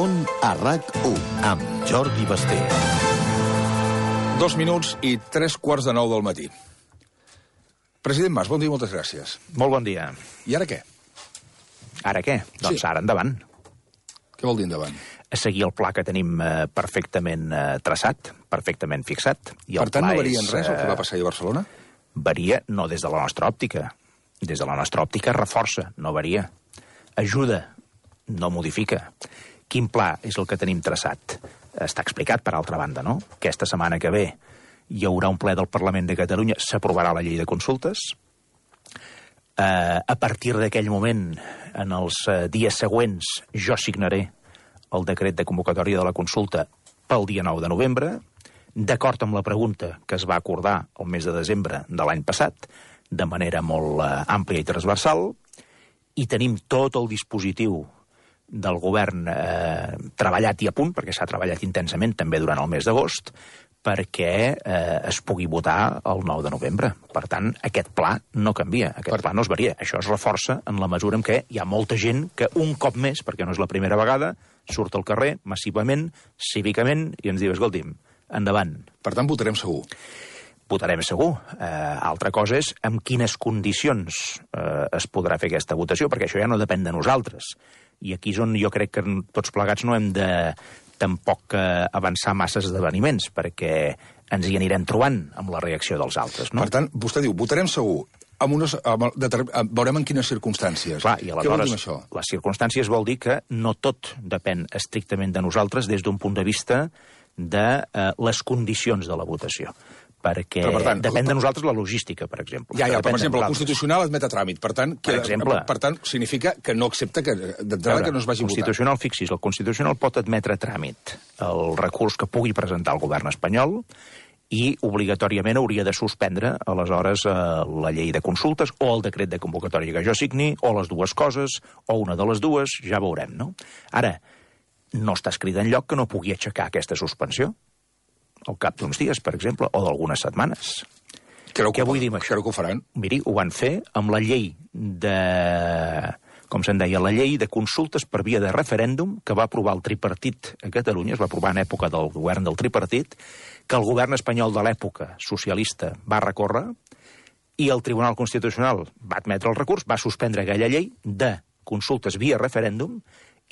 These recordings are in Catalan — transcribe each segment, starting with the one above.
Món a RAC1 amb Jordi Basté. 2 minuts i 3:15 del matí. President Mas, bon dia i moltes gràcies. Molt bon dia. I ara què? Ara què? Doncs ara endavant. Què vol dir endavant? A seguir el pla que tenim perfectament traçat, perfectament fixat. I Per tant, no varia en res el que va passar a Barcelona? Varia no des de la nostra òptica. Des de la nostra òptica reforça, no varia. Ajuda, no modifica. Quin pla és el que tenim traçat? Està explicat, per altra banda, no? Aquesta setmana que ve hi haurà un ple del Parlament de Catalunya, s'aprovarà la llei de consultes. A partir d'aquell moment, en els dies següents, jo signaré el decret de convocatòria de la consulta pel dia 9 de novembre, d'acord amb la pregunta que es va acordar el mes de desembre de l'any passat, de manera molt àmplia i transversal, i tenim tot el dispositiu del govern treballat i a punt, perquè s'ha treballat intensament també durant el mes d'agost, perquè es pugui votar el 9 de novembre. Per tant, aquest pla no canvia, aquest pla no es varia. Això es reforça en la mesura en què hi ha molta gent que un cop més, perquè no és la primera vegada, surt al carrer massivament, cívicament, i ens diu, escolti'm, endavant. Per tant, votarem segur. Votarem segur. Altra cosa és amb quines condicions es podrà fer aquesta votació, perquè això ja no depèn de nosaltres. I aquí és on jo crec que tots plegats no hem de tampoc avançar massa esdeveniments, perquè ens hi anirem trobant amb la reacció dels altres, no? Per tant, vostè diu, votarem segur. Veurem en quines circumstàncies. Clar, i què vol dir això? Les circumstàncies vol dir que no tot depèn estrictament de nosaltres des d'un punt de vista de les condicions de la votació. Perquè depèn de nosaltres la logística, per exemple. Ja, per exemple, el Constitucional admet a tràmit. Per tant, significa que no accepta d'entrada que no es vagi a votar. Fixi's, el Constitucional pot admetre a tràmit el recurs que pugui presentar el govern espanyol i obligatòriament hauria de suspendre, aleshores, la llei de consultes o el decret de convocatòria que jo signi, o les dues coses, o una de les dues, ja veurem, no? Ara, no està escrit enlloc que no pugui aixecar aquesta suspensió al cap d'uns dies, per exemple, o d'algunes setmanes. Què vull dir amb això? Creu que ho faran? Miri, ho van fer amb la llei de... com se'n deia, la llei de consultes per via de referèndum que va aprovar el tripartit a Catalunya, es va aprovar en època del govern del tripartit, que el govern espanyol de l'època socialista va recórrer i el Tribunal Constitucional va admetre el recurs, va suspendre aquella llei de consultes via referèndum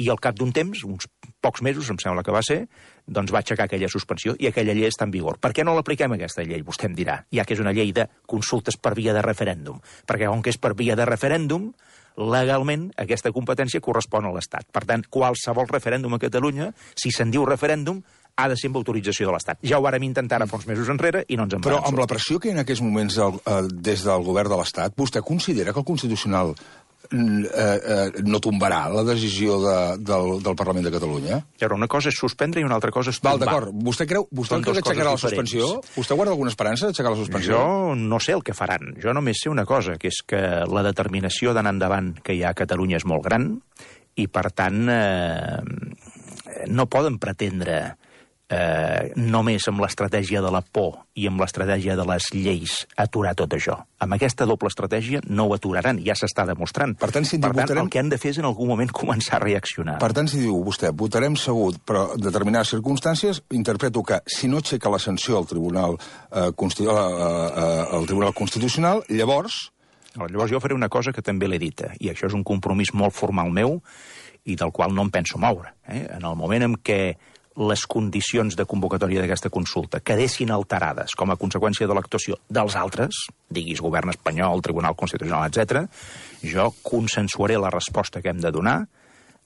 i al cap d'un temps, uns pocs mesos, em sembla que va ser, doncs va aixecar aquella suspensió i aquella llei està en vigor. Per què no l'apliquem, aquesta llei? Vostè em dirà, ja que és una llei de consultes per via de referèndum. Perquè com que és per via de referèndum, legalment aquesta competència correspon a l'Estat. Per tant, qualsevol referèndum a Catalunya, si se'n diu referèndum, ha de ser amb autorització de l'Estat. Ja ho vàrem intentar ara fa uns mesos enrere i no ens en vam sortir. Però amb la pressió que hi ha en aquests moments des del govern de l'Estat, vostè considera que el Constitucional no tombarà la decisió del Parlament de Catalunya? Una cosa és suspendre i una altra cosa és tombar. D'acord. Vostè creu que aixecarà la suspensió? Vostè guarda alguna esperança d'aixecar la suspensió? Jo no sé el que faran. Jo només sé una cosa, que és que la determinació d'anar endavant que hi ha a Catalunya és molt gran i, per tant, no poden pretendre només amb l'estratègia de la por i amb l'estratègia de les lleis aturar tot això. Amb aquesta doble estratègia no ho aturaran, ja s'està demostrant. Per tant, el que han de fer és en algun moment començar a reaccionar. Per tant, si diu vostè, votarem segur, però en determinades circumstàncies, interpreto que si no aixeca la sanció al Tribunal Constitucional, llavors... Llavors jo faré una cosa que també l'he dita, i això és un compromís molt formal meu i del qual no em penso moure. En el moment en què les condicions de convocatòria d'aquesta consulta quedessin alterades com a conseqüència de l'actuació dels altres, diguis govern espanyol, Tribunal Constitucional, etc., jo consensuaré la resposta que hem de donar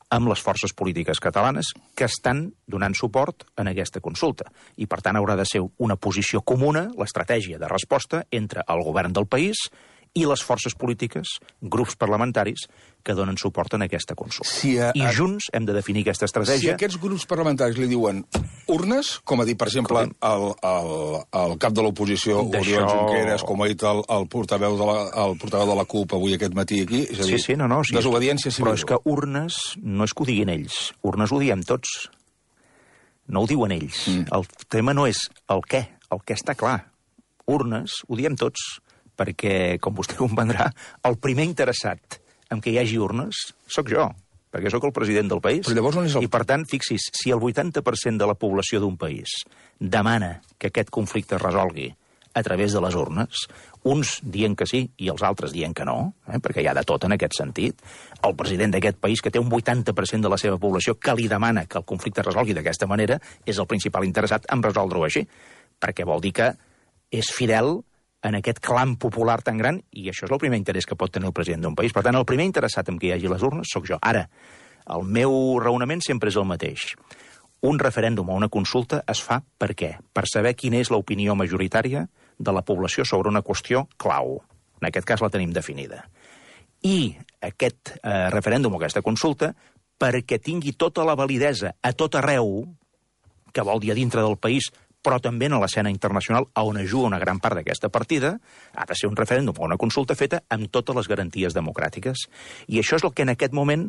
amb les forces polítiques catalanes que estan donant suport en aquesta consulta. I, per tant, haurà de ser una posició comuna, l'estratègia de resposta entre el govern del país i les forces polítiques, grups parlamentaris, que donen suport en aquesta consulta. I junts hem de definir aquesta estratègia. Si aquests grups parlamentaris li diuen urnes, com ha dit, per exemple, el cap de l'oposició, Oriol Junqueras, com ha dit el portaveu de la CUP avui aquest matí aquí, és a dir, desobediència civil. Però és que urnes no és que ho diguin ells, urnes ho diem tots. No ho diuen ells. El tema no és el què està clar. Urnes ho diem tots. Perquè, com vostè comprendrà, el primer interessat en què hi hagi urnes sóc jo, perquè sóc el president del país. Però llavors on és el... I, per tant, fixi's, si el 80% de la població d'un país demana que aquest conflicte es resolgui a través de les urnes, uns dient que sí i els altres dient que no, perquè hi ha de tot en aquest sentit, el president d'aquest país, que té un 80% de la seva població que li demana que el conflicte es resolgui d'aquesta manera, és el principal interessat en resoldre-ho així, perquè vol dir que és fidel en aquest clam popular tan gran, i això és el primer interès que pot tenir el president d'un país. Per tant, el primer interessat en que hi hagi les urnes sóc jo. Ara, el meu raonament sempre és el mateix. Un referèndum o una consulta es fa per què? Per saber quina és l'opinió majoritària de la població sobre una qüestió clau. En aquest cas la tenim definida. I aquest referèndum o aquesta consulta, perquè tingui tota la validesa a tot arreu, que vol dir a dintre del país, però també en l'escena internacional, on es juga una gran part d'aquesta partida, ha de ser un referèndum o una consulta feta amb totes les garanties democràtiques. I això és el que en aquest moment,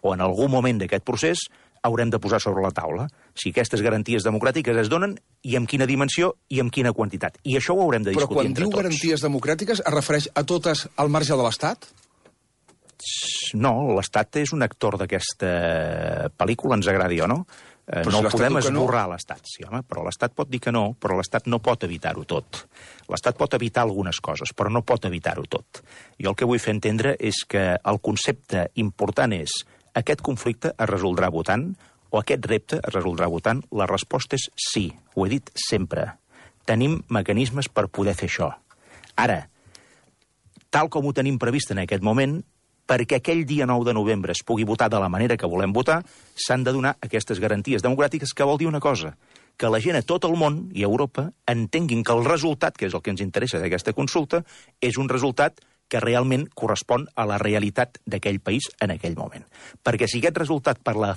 o en algun moment d'aquest procés, haurem de posar sobre la taula. Si aquestes garanties democràtiques es donen, i amb quina dimensió i amb quina quantitat. I això ho haurem de discutir entre tots. Però quan diu garanties democràtiques, es refereix a totes al marge de l'Estat? No, l'Estat és un actor d'aquesta pel·lícula, ens agradi o no. No podem esborrar l'Estat, sí, home, però l'Estat pot dir que no, però l'Estat no pot evitar-ho tot. L'Estat pot evitar algunes coses, però no pot evitar-ho tot. Jo el que vull fer entendre és que el concepte important és aquest conflicte es resoldrà votant o aquest repte es resoldrà votant? La resposta és sí, ho he dit sempre. Tenim mecanismes per poder fer això. Ara, tal com ho tenim previst en aquest moment, perquè aquell dia 9 de novembre es pugui votar de la manera que volem votar, s'han de donar aquestes garanties democràtiques, que vol dir una cosa, que la gent a tot el món i a Europa entenguin que el resultat, que és el que ens interessa d'aquesta consulta, és un resultat que realment correspon a la realitat d'aquell país en aquell moment. Perquè si aquest resultat, per la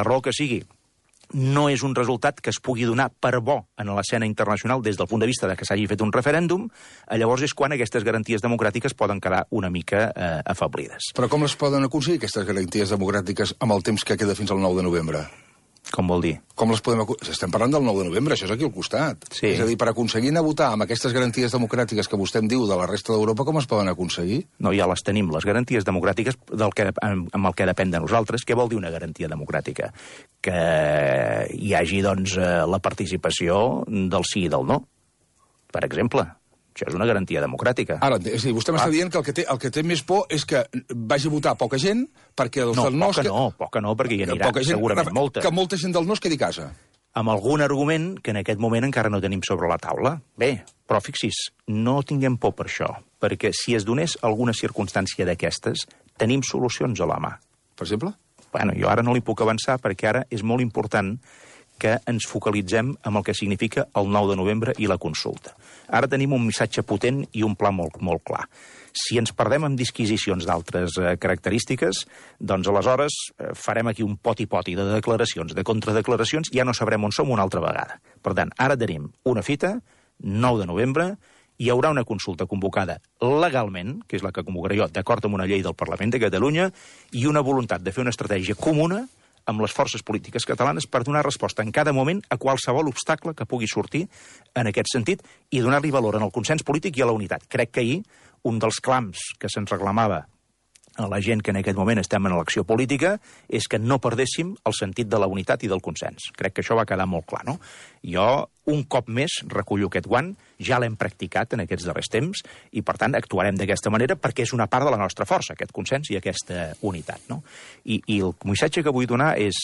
raó que sigui, no és un resultat que es pugui donar per bo en l'escena internacional des del punt de vista de que s'hagi fet un referèndum, llavors és quan aquestes garanties democràtiques poden quedar una mica afeblides. Però com les poden aconseguir, aquestes garanties democràtiques, amb el temps que queda fins al 9 de novembre? Com vol dir? Com les podem... Estem parlant del 9 de novembre, això és aquí al costat. Sí. És a dir, per aconseguir anar a votar amb aquestes garanties democràtiques que vostè em diu de la resta d'Europa, com es poden aconseguir? No, ja les tenim, les garanties democràtiques amb el que depèn de nosaltres. Què vol dir una garantia democràtica? Que hi hagi, doncs, la participació del sí i del no, per exemple. Això és una garantia democràtica. Ara, és a dir, vostè m'està dient que el que té més por és que vagi a votar poca gent, perquè els del no... Poca no, perquè hi anirà segurament molta. Que molta gent del no es quedi a casa. Amb algun argument que en aquest moment encara no tenim sobre la taula. Bé, però fixis, no tinguem por per això, perquè si es donés alguna circumstància d'aquestes, tenim solucions a la mà. Per exemple? Bueno, jo ara no li puc avançar, perquè ara és molt important que ens focalitzem en el que significa el 9 de novembre i la consulta. Ara tenim un missatge potent i un pla molt, molt clar. Si ens perdem en disquisicions d'altres característiques, doncs aleshores farem aquí un poti-poti de declaracions, de contradeclaracions, i ja no sabrem on som una altra vegada. Per tant, ara tenim una fita, 9 de novembre, hi haurà una consulta convocada legalment, que és la que convocaré jo, d'acord amb una llei del Parlament de Catalunya, i una voluntat de fer una estratègia comuna amb les forces polítiques catalanes per donar resposta en cada moment a qualsevol obstacle que pugui sortir en aquest sentit i donar-li valor en el consens polític i a la unitat. Crec que ahir un dels clams que se'ns reclamava a la gent que en aquest moment estem en elecció política és que no perdéssim el sentit de la unitat i del consens. Crec que això va quedar molt clar, no? Jo, un cop més, recullo aquest guant, ja l'hem practicat en aquests darrers temps i, per tant, actuarem d'aquesta manera perquè és una part de la nostra força, aquest consens i aquesta unitat, no? I el missatge que vull donar és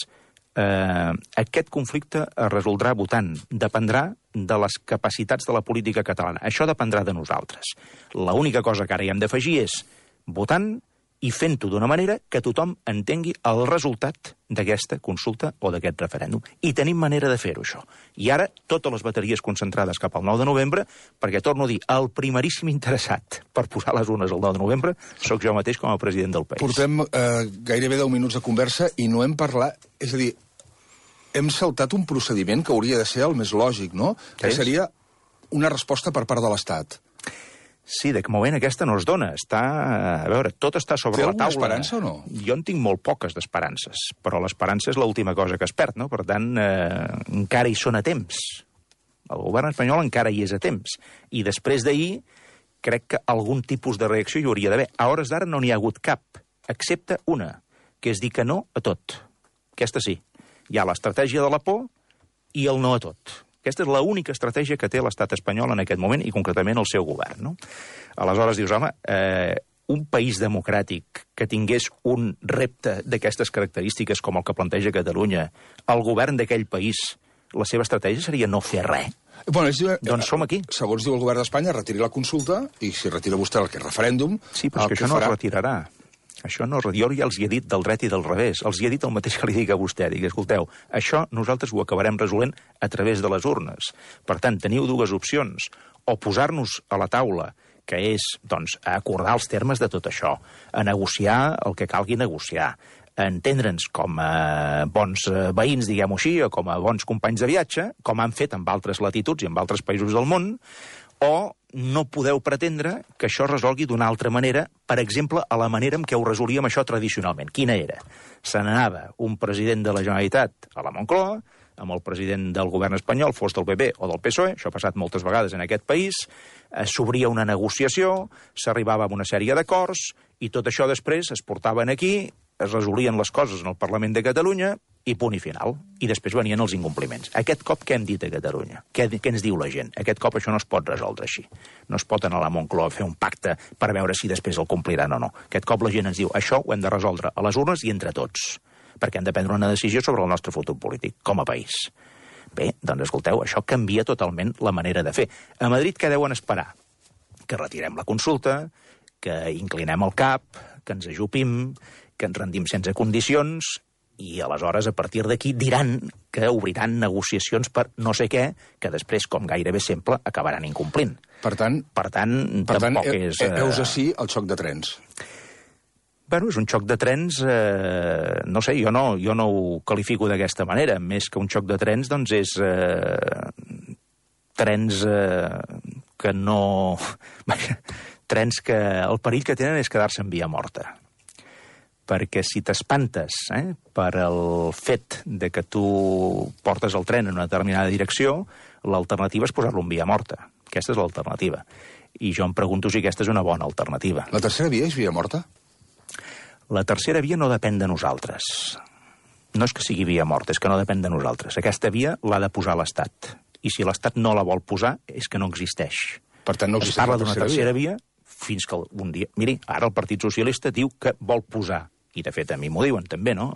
aquest conflicte es resoldrà votant. Dependrà de les capacitats de la política catalana. Això dependrà de nosaltres. L'única cosa que ara hi hem d'afegir és votant i fent-ho d'una manera que tothom entengui el resultat d'aquesta consulta o d'aquest referèndum. I tenim manera de fer-ho, això. I ara, totes les bateries concentrades cap al 9 de novembre, perquè, torno a dir, el primeríssim interessat per posar les urnes el 9 de novembre sóc jo mateix com a president del país. Portem gairebé 10 minuts de conversa i no hem parlat... És a dir, hem saltat un procediment que hauria de ser el més lògic, no? Que seria una resposta per part de l'Estat. Sí, de moment aquesta no es dona. A veure, tot està sobre la taula. Té alguna esperança o no? Jo en tinc molt poques d'esperances, però l'esperança és l'última cosa que es perd, no? Per tant, encara hi són a temps. El govern espanyol encara hi és a temps. I després d'ahir, crec que algun tipus de reacció hi hauria d'haver. A hores d'ara no n'hi ha hagut cap. excepte una, que és dir que no a tot. Aquesta sí. Hi ha l'estratègia de la por i el no a tot. Aquesta és l'única estratègia que té l'estat espanyol en aquest moment i concretament el seu govern, no? Aleshores dius, home, un país democràtic que tingués un repte d'aquestes característiques com el que planteja Catalunya, el govern d'aquell país, la seva estratègia seria no fer res. Bueno, doncs som aquí. Segons diu el govern d'Espanya, retiri la consulta i si retira vostè el que és referèndum... Sí, però és que això no es retirarà. Això no, jo ja els hi he dit del dret i del revés. Els hi he dit el mateix que li dic a vostè. Dic, escolteu, això nosaltres ho acabarem resolent a través de les urnes. Per tant, teniu dues opcions. O posar-nos a la taula, que és, doncs, a acordar els termes de tot això, a negociar el que calgui negociar, a entendre'ns com a bons veïns, diguem-ho així, o com a bons companys de viatge, com han fet amb altres latituds i amb altres països del món, o no podeu pretendre que això es resolgui d'una altra manera, per exemple, a la manera en què ho resolíem això tradicionalment. Quina era? Se n'anava un president de la Generalitat a la Moncloa, amb el president del govern espanyol, fos del PP o del PSOE, això ha passat moltes vegades en aquest país, s'obria una negociació, s'arribava a una sèrie d'acords, i tot això després es portaven aquí, es resolien les coses en el Parlament de Catalunya i punt i final. I després venien els incompliments. Aquest cop què hem dit a Catalunya? Què ens diu la gent? Aquest cop això no es pot resoldre així. No es pot anar a la Moncloa a fer un pacte per veure si després el compliran o no. Aquest cop la gent ens diu això ho hem de resoldre a les urnes i entre tots, perquè hem de prendre una decisió sobre el nostre futur polític, com a país. Bé, doncs escolteu, això canvia totalment la manera de fer. A Madrid què deuen esperar? Que retirem la consulta, que inclinem el cap, que ens ajupim, que ens rendim sense condicions, i aleshores, a partir d'aquí, diran que obriran negociacions per no sé què, que després, com gairebé sempre, acabaran incomplint. Per tant, tampoc és... Heus ací el xoc de trens. Bueno, és un xoc de trens, no sé, jo no ho qualifico d'aquesta manera. Més que un xoc de trens, doncs és trens que no... Trens que el perill que tenen és quedar-se en via morta. Perquè si t'espantes per el fet de que tu portes el tren en una determinada direcció, l'alternativa és posar-lo en via morta. Aquesta és l'alternativa. I jo em pregunto si aquesta és una bona alternativa. La tercera via és via morta? La tercera via no depèn de nosaltres. No és que sigui via morta, és que no depèn de nosaltres. Aquesta via l'ha de posar l'Estat. I si l'Estat no la vol posar, és que no existeix. Per tant, no existeix la tercera via fins que un dia... Miri, ara el Partit Socialista diu que vol posar, i de fet a mi m'ho diuen també, no?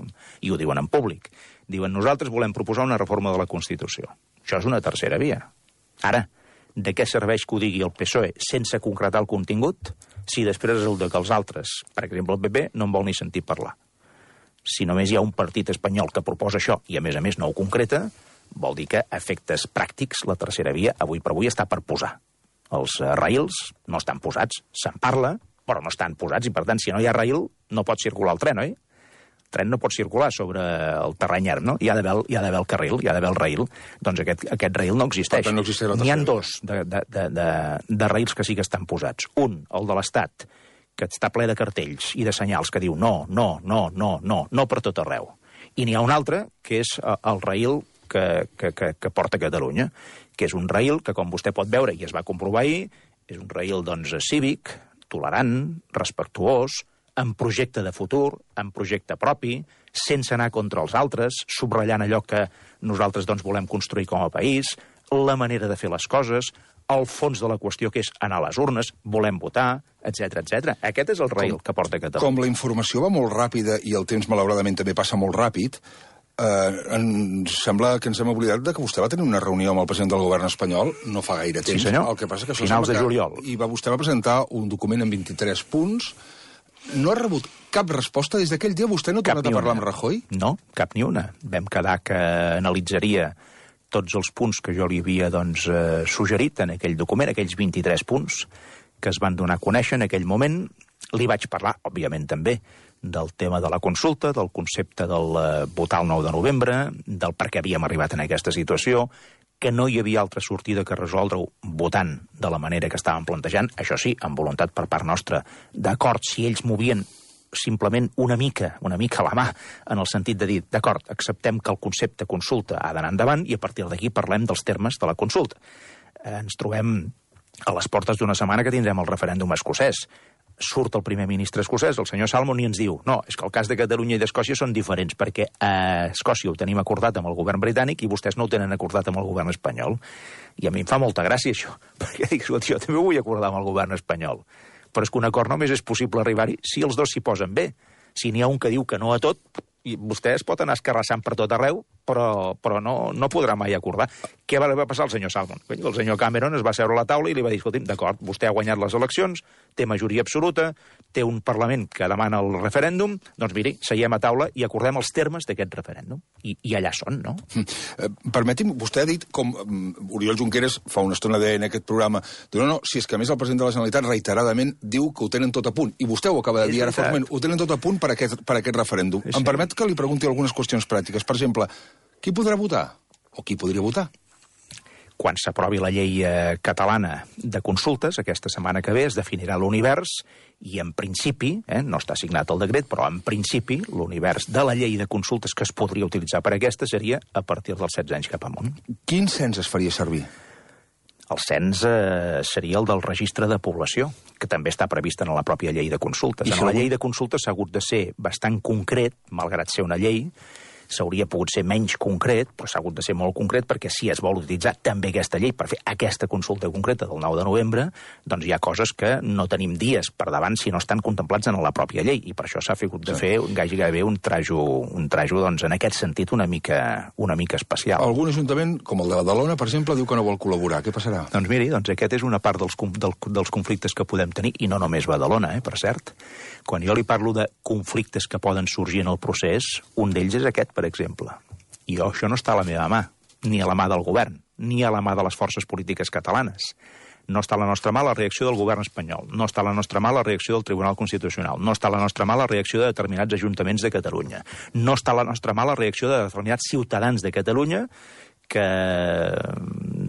I ho diuen en públic. Diuen, nosaltres volem proposar una reforma de la Constitució. Això és una tercera via. Ara, de què serveix que ho digui el PSOE sense concretar el contingut si després resulta que els altres, per exemple el PP, no en vol ni sentir parlar? Si només hi ha un partit espanyol que proposa això i a més no ho concreta, vol dir que a efectes pràctics la tercera via avui per avui està per posar. Els rails no estan posats, se'n parla, però no estan posats, i per tant, si no hi ha rail, no pot circular el tren, oi? El tren no pot circular sobre el terreny erm, no? Hi ha d'haver el carril, hi ha d'haver el rail. Doncs aquest rail no existeix. No N'hi ha dos de rails que sí que estan posats. Un, el de l'Estat, que està ple de cartells i de senyals que diu no per tot arreu. I n'hi ha un altre, que és el rail que porta Catalunya, que és un rail que, com vostè pot veure, i es va comprovar ahir, és un rail, doncs, cívic, tolerant, respectuós, amb projecte de futur, amb projecte propi, sense anar contra els altres, subratllant allò que nosaltres doncs, volem construir com a país, la manera de fer les coses, el fons de la qüestió que és anar a les urnes, volem votar, etc. Aquest és el rail que porta Catalunya. Com la informació va molt ràpida i el temps, malauradament, també passa molt ràpid, ens sembla que ens hem oblidat de que vostè va tenir una reunió amb el president del govern espanyol no fa gaire temps. Sí, senyor. El que passa que finals de juliol. I vostè va presentar un document amb 23 punts. No ha rebut cap resposta des d'aquell dia? Vostè no ha tornat a parlar amb Rajoy? No, cap ni una. Vam quedar que analitzaria tots els punts que jo li havia suggerit en aquell document, aquells 23 punts que es van donar a conèixer en aquell moment. Li vaig parlar, òbviament també, del tema de la consulta, del concepte del votar el 9 de novembre, del per què havíem arribat en aquesta situació, que no hi havia altra sortida que resoldre-ho votant de la manera que estàvem plantejant, això sí, amb voluntat per part nostra, d'acord, si ells movien simplement una mica la mà, en el sentit de dir, d'acord, acceptem que el concepte consulta ha d'anar endavant i a partir d'aquí parlem dels termes de la consulta. Ens trobem a les portes d'una setmana que tindrem el referèndum escocès. surt el primer ministre escocès, el senyor Salmond, i ens diu no, és que el cas de Catalunya i d'Escòcia són diferents, perquè a Escòcia ho tenim acordat amb el govern britànic i vostès no ho tenen acordat amb el govern espanyol. I a mi em fa molta gràcia això, perquè dic, jo també ho vull acordar amb el govern espanyol. Però és que un acord només és possible arribar-hi si els dos s'hi posen bé. Si n'hi ha un que diu que no a tot, i vostè es pot anar escarrassant per tot arreu, però no podrà mai acordar. Què va passar al senyor Salmond? El senyor Cameron es va seure a la taula i li va dir, escolti'm, d'acord, vostè ha guanyat les eleccions, té majoria absoluta, té un Parlament que demana el referèndum, doncs miri, seiem a taula i acordem els termes d'aquest referèndum. I allà són, no? Permeti'm, vostè ha dit, com Oriol Junqueras fa una estona deia en aquest programa, no, si és que a més el president de la Generalitat reiteradament diu que ho tenen tot a punt, i vostè ho acaba de dir ara formalment, ho tenen tot a punt per aquest referèndum. Em permet que li pregunti algunes qüestions pràctiques. Per exemple, qui podrà votar? O qui podria votar? Quan s'aprovi la llei catalana de consultes, aquesta setmana que ve, es definirà l'univers i, en principi, no està signat el decret, però en principi l'univers de la llei de consultes que es podria utilitzar per aquesta seria a partir dels 16 anys cap amunt. Quin cens es faria servir? El cens seria el del registre de població, que també està previst en la pròpia llei de consultes. En la llei de consultes s'ha hagut de ser bastant concret, malgrat ser una llei, s'hauria pogut ser menys concret, però s'ha hagut de ser molt concret perquè si es vol utilitzar també aquesta llei per fer aquesta consulta concreta del 9 de novembre, doncs hi ha coses que no tenim dies per davant si no estan contemplats en la pròpia llei, i per això s'ha hagut de fer gairebé un trajo doncs, en aquest sentit una mica especial. Algun ajuntament, com el de Badalona, per exemple, diu que no vol col·laborar. Què passarà? Doncs miri, aquest és una part dels conflictes que podem tenir, i no només Badalona, per cert. Quan jo li parlo de conflictes que poden sorgir en el procés, un d'ells és aquest, per exemple. I això no està a la meva mà, ni a la mà del govern, ni a la mà de les forces polítiques catalanes. No està a la nostra mà la reacció del govern espanyol, no està a la nostra mà la reacció del Tribunal Constitucional, no està a la nostra mà la reacció de determinats ajuntaments de Catalunya, no està a la nostra mà la reacció de determinats ciutadans de Catalunya que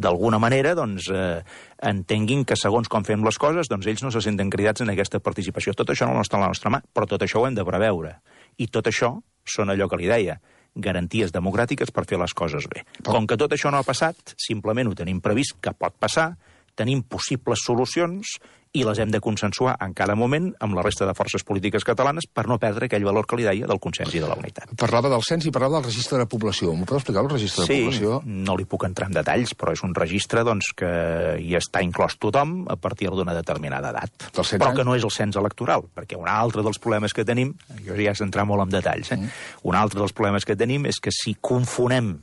d'alguna manera entenguin que segons com fem les coses, doncs ells no se senten cridats en aquesta participació. Tot això no està a la nostra mà, però tot això ho hem de preveure. I tot això són allò que li deia, garanties democràtiques per fer les coses bé. Com que tot això no ha passat, simplement ho tenim previst que pot passar, tenim possibles solucions i les hem de consensuar en cada moment amb la resta de forces polítiques catalanes per no perdre aquell valor que li deia del consens i de la unitat. Parlava del cens i parlava del registre de població. M'ho pot explicar, el registre de població? Sí, no li puc entrar en detalls, però és un registre que hi està inclòs tothom a partir d'una determinada edat. Però que no és el cens electoral, perquè un altre dels problemes que tenim, jo ja has d'entrar molt en detalls, un altre dels problemes que tenim és que si confonem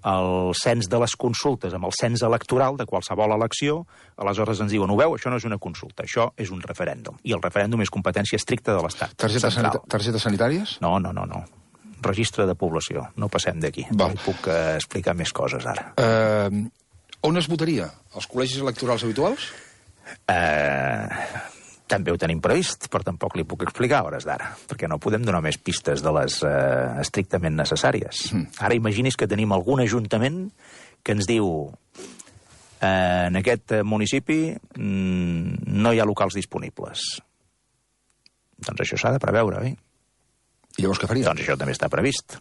el cens de les consultes amb el cens electoral de qualsevol elecció, aleshores ens diuen, ho veu, això no és una consulta, això és un referèndum. I el referèndum és competència estricta de l'Estat. Targetes sanitàries? No. Registre de població. No passem d'aquí. No puc explicar més coses ara. On es votaria? Els col·legis electorals habituals? També ho tenim previst, però tampoc li puc explicar a hores d'ara, perquè no podem donar més pistes de les estrictament necessàries. Ara imagini's que tenim algun ajuntament que ens diu en aquest municipi no hi ha locals disponibles. Doncs això s'ha de preveure, oi? I llavors què faria? Doncs això també està previst.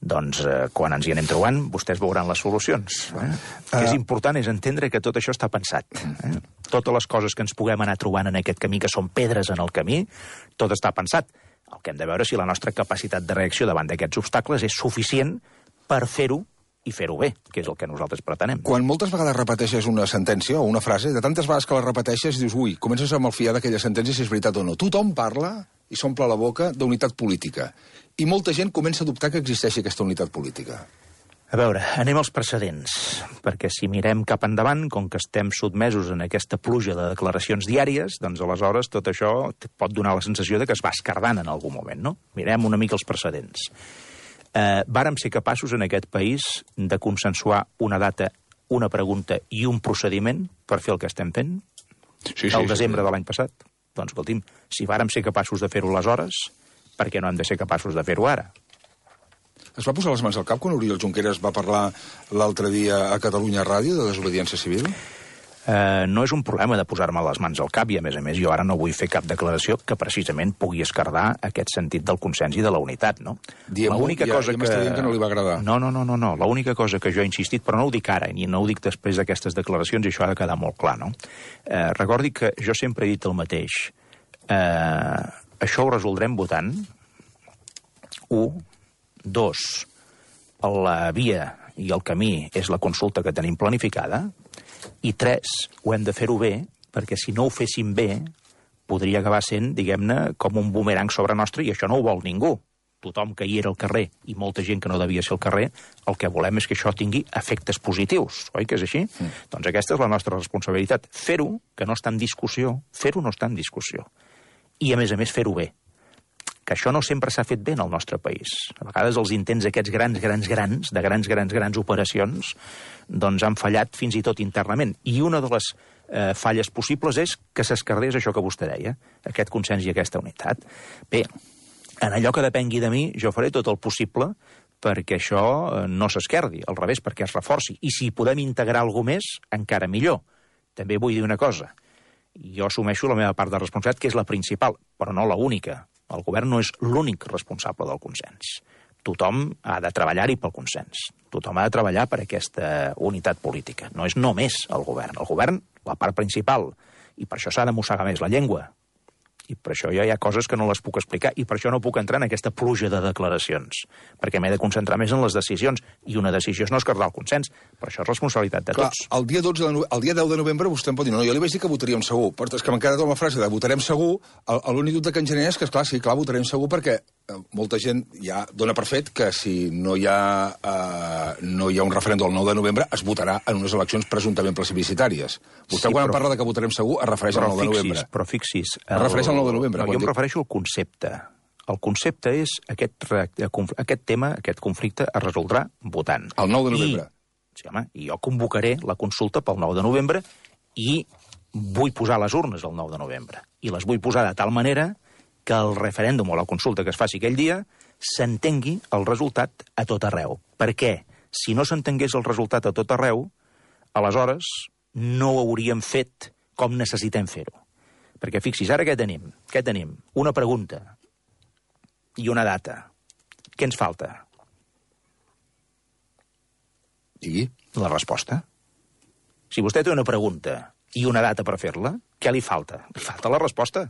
Doncs quan ens hi anem trobant, vostès veuran les solucions. El que és important és entendre que tot això està pensat. Totes les coses que ens puguem anar trobant en aquest camí, que són pedres en el camí, tot està pensat. El que hem de veure és si la nostra capacitat de reacció davant d'aquests obstacles és suficient per fer-ho i fer-ho bé, que és el que nosaltres pretenem. Quan moltes vegades repeteixes una sentència o una frase, de tantes vegades que la repeteixes, dius, ui, comences a malfiar d'aquella sentència si és veritat o no. Tothom parla i s'omple la boca d'unitat política. I molta gent comença a dubtar que existeixi aquesta unitat política. A veure, anem als precedents, perquè si mirem cap endavant, com que estem sotmesos en aquesta pluja de declaracions diàries, doncs aleshores tot això pot donar la sensació de que es va escardant en algun moment, no? Mirem una mica els precedents. Vàrem ser capaços en aquest país de consensuar una data, una pregunta i un procediment per fer el que estem fent? Sí, el desembre de l'any passat? Doncs, escolti'm, si vàrem ser capaços de fer-ho aleshores, per què no hem de ser capaços de fer-ho ara? Es va posar les mans al cap quan Oriol Junqueras va parlar l'altre dia a Catalunya Ràdio de desobediència civil? No és un problema de posar-me les mans al cap i, a més, jo ara no vull fer cap declaració que precisament pugui esquerdar aquest sentit del consens i de la unitat, no? L'única cosa que... m'està dient que no li va agradar. No. L'única cosa que jo he insistit, però no ho dic ara, ni no ho dic després d'aquestes declaracions, i això ha de quedar molt clar, no? Recordi que jo sempre he dit el mateix. Això ho resoldrem votant. 1. 2. La via i el camí és la consulta que tenim planificada. I 3. Ho hem de fer-ho bé, perquè si no ho féssim bé, podria acabar sent, diguem-ne, com un bumerang sobre nostre, i això no ho vol ningú. Tothom que hi era al carrer i molta gent que no devia ser al carrer, el que volem és que això tingui efectes positius, oi que és així? Doncs aquesta és la nostra responsabilitat. Fer-ho, que no està en discussió, fer-ho no està en discussió. I, a més, fer-ho bé. Que això no sempre s'ha fet bé en el nostre país. A vegades els intents aquests grans operacions, doncs han fallat fins i tot internament. I una de les falles possibles és que s'esquerdés això que vostè deia, aquest consens i aquesta unitat. Bé, en allò que depengui de mi, jo faré tot el possible perquè això no s'esquerdi, al revés, perquè es reforci. I si podem integrar alguna més, encara millor. També vull dir una cosa. Jo assumeixo la meva part de responsabilitat, que és la principal, però no la única. El govern no és l'únic responsable del consens. Tothom ha de treballar-hi pel consens. Tothom ha de treballar per aquesta unitat política. No és només el govern. El govern, la part principal. I per això s'ha de mossegar més la llengua. I per això ja hi ha coses que no les puc explicar, i per això no puc entrar en aquesta pluja de declaracions, perquè m'he de concentrar més en les decisions, i una decisió és no esquerdar el consens, però això és responsabilitat de tots. El dia 10 de novembre vostè em pot dir, no, jo li vaig dir que votaríem segur, però és que m'ha quedat la frase de votarem segur, l'únic dubte que en genera és que, esclar, sí, clar, votarem segur perquè molta gent ja dona per fet que si no hi ha un referèndum el 9 de novembre es votarà en unes eleccions presumptament plebiscitàries. Vostè quan parla de que votarem segur es refereix al 9 de novembre. Però fixis... Es refereix al 9 de novembre. No, jo em refereixo al concepte. El concepte és aquest tema, aquest conflicte es resoldrà votant. El 9 de novembre. Sí, home, i jo convocaré la consulta pel 9 de novembre i vull posar les urnes el 9 de novembre. I les vull posar de tal manera que el referèndum o la consulta que es faci aquell dia s'entengui el resultat a tot arreu. Per què? Si no s'entengués el resultat a tot arreu, aleshores no ho hauríem fet com necessitem fer-ho. Perquè fixis, ara què tenim? Què tenim? Una pregunta i una data. Què ens falta? Digui. La resposta. Si vostè té una pregunta i una data per fer-la, què li falta? Li falta la resposta.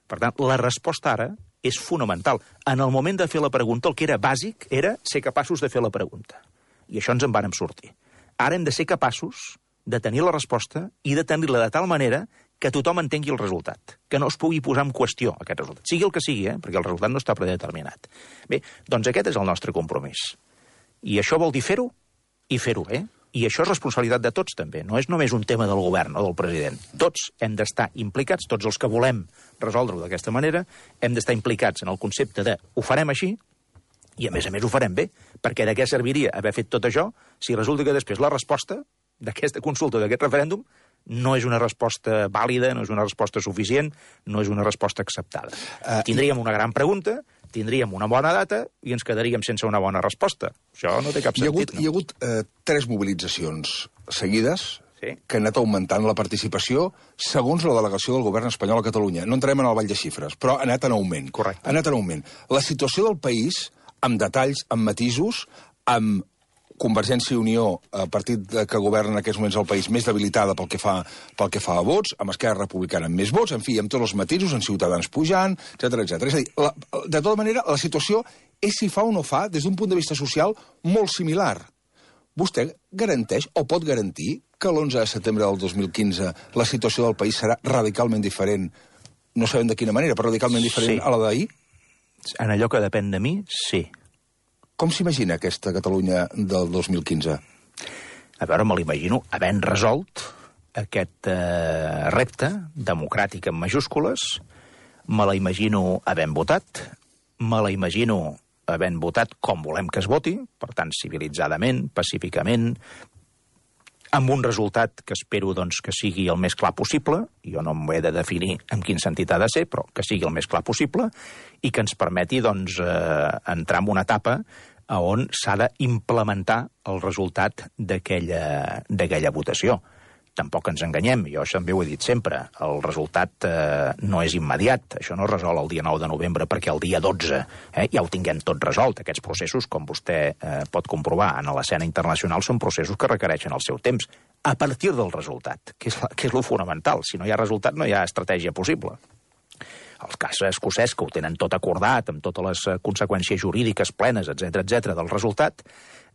Per tant, la resposta ara és fonamental. En el moment de fer la pregunta, el que era bàsic era ser capaços de fer la pregunta. I això ens en vàrem sortir. Ara hem de ser capaços de tenir la resposta i de tenir-la de tal manera que tothom entengui el resultat, que no es pugui posar en qüestió aquest resultat. Sigui el que sigui, perquè el resultat no està predeterminat. Bé, doncs aquest és el nostre compromís. I això vol dir fer-ho i fer-ho bé. I això és responsabilitat de tots, també. No és només un tema del govern o del president. Tots hem d'estar implicats, tots els que volem resoldre-ho d'aquesta manera, hem d'estar implicats en el concepte de ho farem així i, a més, ho farem bé. Perquè de què serviria haver fet tot això si resulta que després la resposta d'aquesta consulta, d'aquest referèndum, no és una resposta vàlida, no és una resposta suficient, no és una resposta acceptada. Tindríem una gran pregunta, tindríem una bona data i ens quedaríem sense una bona resposta. Això no té cap sentit. Hi ha hagut 3 mobilitzacions seguides que han anat augmentant la participació segons la delegació del govern espanyol a Catalunya. No entrarem en el ball de xifres, però ha anat en augment. Correcte. Ha anat en augment. La situació del país, amb detalls, amb matisos, amb Convergència i Unió, partit que governa en aquests moments el país, més debilitada pel que fa a vots, amb Esquerra Republicana amb més vots, en fi, amb tots els matisos, amb Ciutadans pujant, etc. És a dir, de tota manera, la situació és si fa o no fa, des d'un punt de vista social, molt similar. Vostè garanteix o pot garantir que l'11 de setembre del 2015 la situació del país serà radicalment diferent, no sabem de quina manera, però radicalment diferent a la d'ahir? En allò que depèn de mi, sí. Com s'imagina aquesta Catalunya del 2015? A veure, me l'imagino havent resolt aquest repte democràtic en majúscules, me la imagino havent votat, me la imagino havent votat com volem que es voti, per tant, civilitzadament, pacíficament, amb un resultat que espero doncs, que sigui el més clar possible, jo no m'ho he de definir en quin sentit ha de ser, però que sigui el més clar possible, i que ens permeti doncs, entrar en una etapa on s'ha d'implementar el resultat d'aquella votació. Tampoc ens enganyem, jo també ho he dit sempre, el resultat no és immediat, això no es resol el dia 9 de novembre perquè el dia 12 ja ho tinguem tot resolt. Aquests processos, com vostè pot comprovar en l'escena internacional, són processos que requereixen el seu temps, a partir del resultat, que és lo fonamental. Si no hi ha resultat, no hi ha estratègia possible. El cas escocès, que ho tenen tot acordat, amb totes les conseqüències jurídiques plenes, etc del resultat,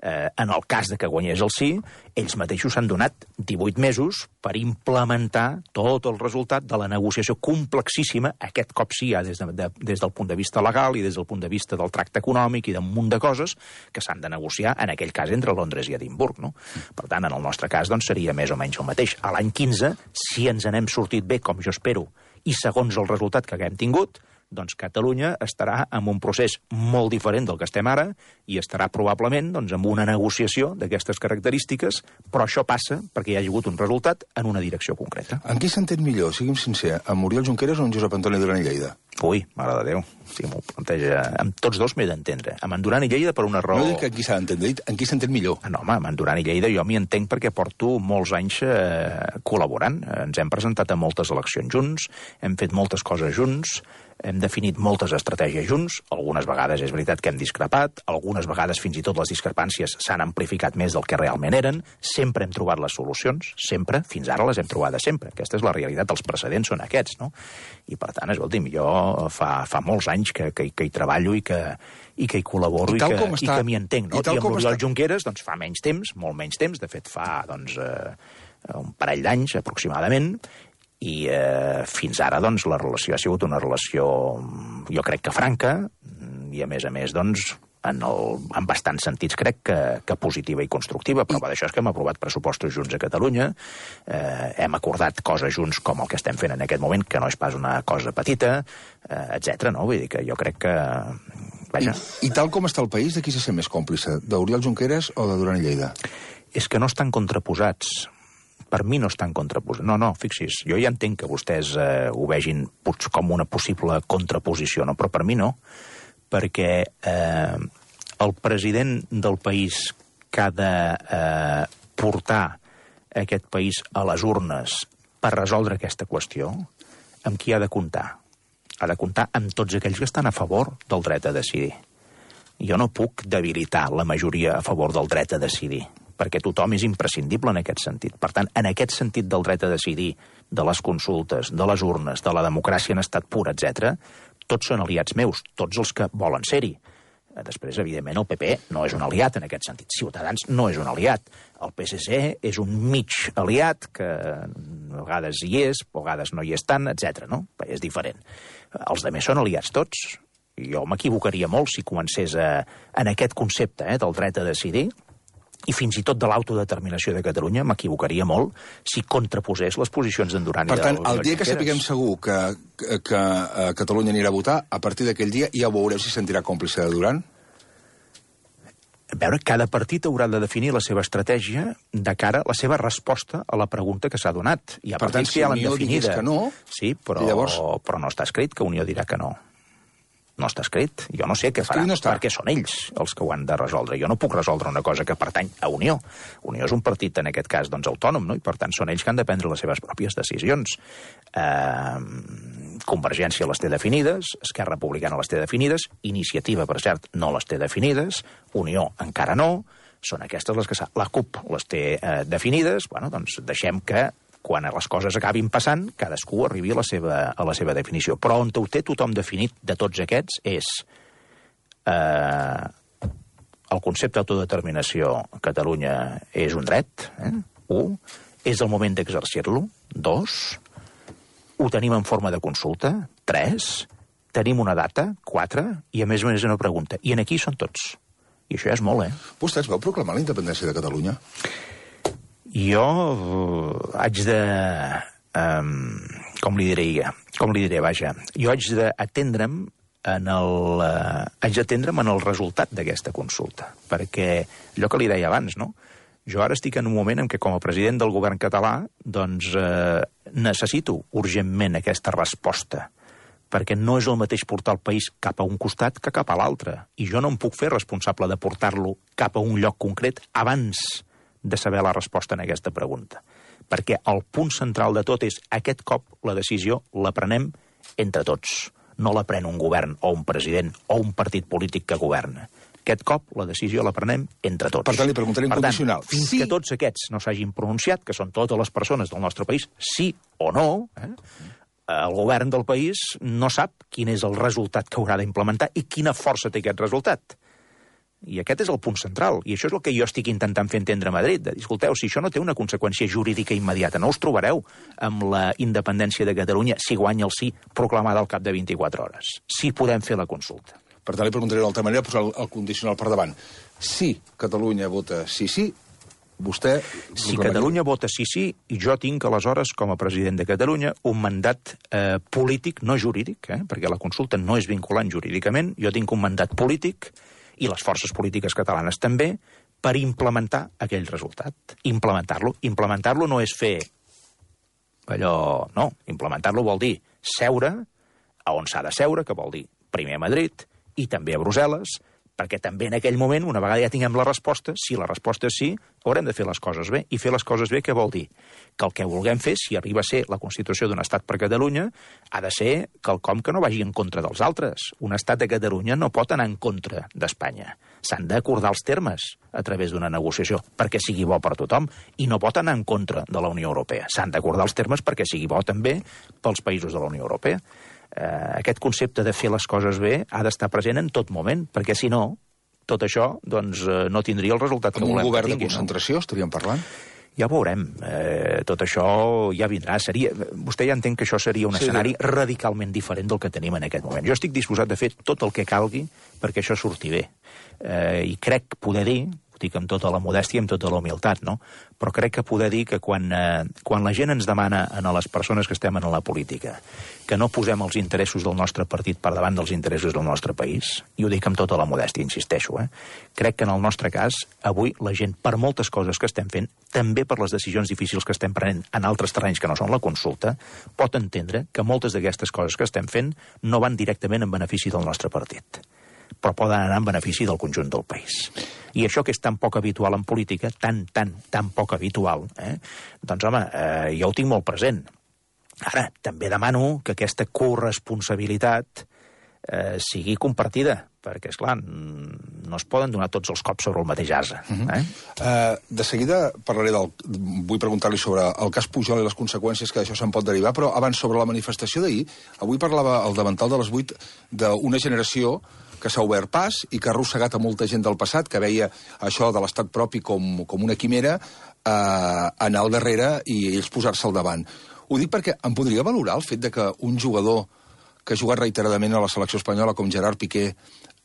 en el cas de que guanyés el sí, ells mateixos s'han donat 18 mesos per implementar tot el resultat de la negociació complexíssima, aquest cop sí ja des del punt de vista legal i des del punt de vista del tracte econòmic i d'un munt de coses que s'han de negociar, en aquell cas, entre Londres i Edimburg. No? Per tant, en el nostre cas, doncs, seria més o menys el mateix. A l'any 15, si ens n'hem sortit bé, com jo espero, i segons el resultat que haguem tingut, doncs Catalunya estarà en un procés molt diferent del que estem ara i estarà probablement doncs, amb una negociació d'aquestes característiques, però això passa perquè hi ha hagut un resultat en una direcció concreta. En qui s'entén millor, sigui'm sincer, amb Oriol Junqueras o amb Josep Antoni Duran i Lleida? Ui, mare de Déu, si m'ho planteja... Amb tots dos m'he d'entendre. Amb en Duran i Lleida per una raó... No dic en qui s'ha d'entendre, en qui s'entén millor. No, home, amb en Duran i Lleida jo m'hi entenc perquè porto molts anys col·laborant. Ens hem presentat a moltes eleccions junts, hem fet moltes coses junts, hem definit moltes estratègies junts, algunes vegades és veritat que hem discrepat, algunes vegades fins i tot les discrepàncies s'han amplificat més del que realment eren, sempre hem trobat les solucions, sempre, fins ara les hem trobades sempre. Aquesta és la realitat, els precedents són aquests, no? I per tant, escolti'm, jo fa molts anys que hi treballo i que hi col·laboro i que m'hi entenc, no? I amb l'Oriol Junqueras, doncs fa menys temps, molt menys temps, de fet fa, doncs, un parell d'anys aproximadament, i fins ara doncs, la relació ha sigut una relació, jo crec que franca, i a més, doncs, en bastants sentits crec que positiva i constructiva. Prova d'això és que hem aprovat pressupostos junts a Catalunya, hem acordat coses junts com el que estem fent en aquest moment, que no és pas una cosa petita, etc. No? Vull dir que jo crec que... Vaja. I tal com està el país, de qui se sent més còmplice? D'Oriol Junqueras o de Duran i Lleida? És que no estan contraposats. Per mi no estan contraposats. No, fixis, jo ja entenc que vostès ho vegin com una possible contraposició, no? Però per mi no, perquè el president del país que ha de portar aquest país a les urnes per resoldre aquesta qüestió, amb qui ha de comptar? Ha de comptar amb tots aquells que estan a favor del dret a decidir. Jo no puc debilitar la majoria a favor del dret a decidir, perquè tothom és imprescindible en aquest sentit. Per tant, en aquest sentit del dret a decidir, de les consultes, de les urnes, de la democràcia en estat pur, etc., tots són aliats meus, tots els que volen ser-hi. Després, evidentment, el PP no és un aliat en aquest sentit. Ciutadans no és un aliat. El PSC és un mig aliat que a vegades hi és, a vegades no hi és tant, etc. No? És diferent. Els altres són aliats tots. Jo m'equivocaria molt si comencés en aquest concepte del dret a decidir, i fins i tot de l'autodeterminació de Catalunya, m'equivocaria molt si contraposés les posicions d'en Duran i de Per tant, el dia que sapiguem segur que Catalunya anirà a votar, a partir d'aquell dia ja veureu si sentirà còmplice de Duran? A veure, cada partit haurà de definir la seva estratègia de cara a la seva resposta a la pregunta que s'ha donat. Hi ha partits que ja l'han definida. Que no, sí, però no està escrit que Unió dirà que no. No està escrit. Jo no sé què farà, perquè són ells els que ho han de resoldre. Jo no puc resoldre una cosa que pertany a Unió. Unió és un partit, en aquest cas, doncs, autònom, no? I per tant són ells que han de prendre les seves pròpies decisions. Convergència les té definides, Esquerra Republicana les té definides, Iniciativa, per cert, no les té definides, Unió encara no, són aquestes les que la CUP les té definides. Bueno, doncs deixem que quan les coses acabin passant, cadascú arribi a la seva definició. Però on ho té tothom definit de tots aquests és el concepte d'autodeterminació a Catalunya és un dret, 1, és el moment d'exercir-lo, 2, ho tenim en forma de consulta, 3, tenim una data, 4, i a més una pregunta. I en aquí són tots. I això ja és molt, Vostès vau proclamar la independència de Catalunya? Jo haig de... Com li diré, vaja. Jo haig d'atendre'm en el resultat d'aquesta consulta. Perquè allò que li deia abans, no? Jo ara estic en un moment en què, com a president del govern català, doncs necessito urgentment aquesta resposta, perquè no és el mateix portar el país cap a un costat que cap a l'altre. I jo no em puc fer responsable de portar-lo cap a un lloc concret abans de saber la resposta en aquesta pregunta. Perquè el punt central de tot és aquest cop la decisió la prenem entre tots. No la pren un govern o un president o un partit polític que governa. Aquest cop la decisió la prenem entre tots. Per tant, li preguntaré en condicional. Fins que tots aquests no s'hagin pronunciat, que són totes les persones del nostre país, sí o no, el govern del país no sap quin és el resultat que haurà d'implementar i quina força té aquest resultat. I aquest és el punt central. I això és el que jo estic intentant fer entendre a Madrid. De dir, escolteu, si això no té una conseqüència jurídica immediata, no us trobareu amb la independència de Catalunya si guanya el sí proclamada al cap de 24 hores. Sí podem fer la consulta. Per tant, li preguntaré d'altra manera, posar el condicional per davant. Si Catalunya vota sí, vostè... Si Catalunya vota sí, i jo tinc, aleshores, com a president de Catalunya, un mandat polític, no jurídic, perquè la consulta no és vinculant jurídicament, jo tinc un mandat polític, i les forces polítiques catalanes també, per implementar aquell resultat. Implementar-lo. Implementar-lo no és fer allò... No, implementar-lo vol dir seure a on s'ha de seure, que vol dir primer a Madrid i també a Brussel·les, perquè també en aquell moment, una vegada ja tinguem la resposta, si la resposta és sí, haurem de fer les coses bé. I fer les coses bé què vol dir? Que el que vulguem fer, si arriba a ser la Constitució d'un estat per Catalunya, ha de ser quelcom que no vagi en contra dels altres. Un estat de Catalunya no pot anar en contra d'Espanya. S'han d'acordar els termes a través d'una negociació perquè sigui bo per tothom i no pot anar en contra de la Unió Europea. S'han d'acordar els termes perquè sigui bo també pels països de la Unió Europea. Aquest concepte de fer les coses bé ha d'estar present en tot moment, perquè si no, tot això doncs, no tindria el resultat que volem que tingui. Amb un govern de concentració estaríem parlant? Ja ho veurem. Tot això ja vindrà. Vostè ja entén que això seria un escenari radicalment diferent del que tenim en aquest moment. Jo estic disposat a fer tot el que calgui perquè això surti bé. I crec poder dir, ho dic amb tota la modèstia i amb tota la humilitat, no? Però crec que poder dir que quan la gent ens demana a les persones que estem en la política que no posem els interessos del nostre partit per davant dels interessos del nostre país, i ho dic amb tota la modèstia, insisteixo, crec que en el nostre cas, avui la gent, per moltes coses que estem fent, també per les decisions difícils que estem prenent en altres terrenys que no són la consulta, pot entendre que moltes d'aquestes coses que estem fent no van directament en benefici del nostre partit, però poden anar en benefici del conjunt del país. I això que és tan poc habitual en política, tan poc habitual, doncs, home, jo ho tinc molt present. Ara, també demano que aquesta corresponsabilitat sigui compartida, perquè, esclar, no es poden donar tots els cops sobre el mateix ase. De seguida vull preguntar-li sobre el cas Pujol i les conseqüències que d'això se'n pot derivar, però abans sobre la manifestació d'ahir, avui parlava el davantal de les 8 d'una generació que s'ha obert pas i que ha arrossegat a molta gent del passat, que veia això de l'estat propi com una quimera, anar al darrere i ells posar-se al davant. Ho dic perquè em podria valorar el fet de que un jugador que ha jugat reiteradament a la selecció espanyola com Gerard Piqué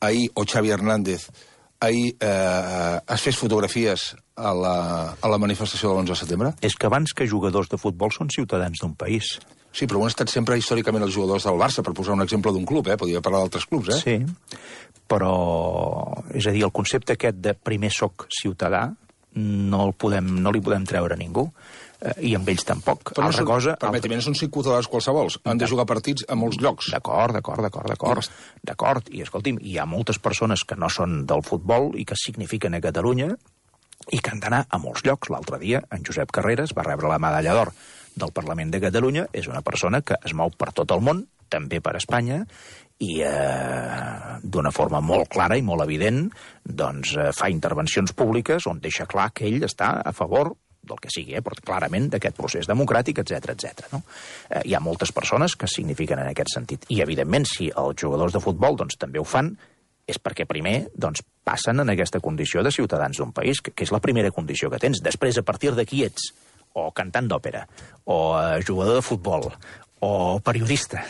ahir, o Xavi Hernández, ahir es fes fotografies a la manifestació de l'11 de setembre? És que abans que jugadors de futbol són ciutadans d'un país. Sí, però han estat sempre històricament els jugadors del Barça, per posar un exemple d'un club, podria parlar d'altres clubs, Sí, però, és a dir, el concepte aquest de primer soc ciutadà no li podem treure a ningú, i amb ells tampoc. Però permeti-me, no són ciutadans qualsevols, han de jugar partits a molts llocs. D'acord. I, escolti'm, hi ha moltes persones que no són del futbol i que signifiquen a Catalunya i que han d'anar a molts llocs. L'altre dia, en Josep Carreras va rebre la medalla d'or del Parlament de Catalunya, és una persona que es mou per tot el món, també per Espanya, i d'una forma molt clara i molt evident doncs fa intervencions públiques on deixa clar que ell està a favor del que sigui, però clarament d'aquest procés democràtic, etc. No? Hi ha moltes persones que signifiquen en aquest sentit. I, evidentment, si els jugadors de futbol doncs, també ho fan, és perquè primer doncs, passen en aquesta condició de ciutadans d'un país, que és la primera condició que tens. Després, a partir de qui ets, o cantant d'òpera, o jugador de futbol, o periodista,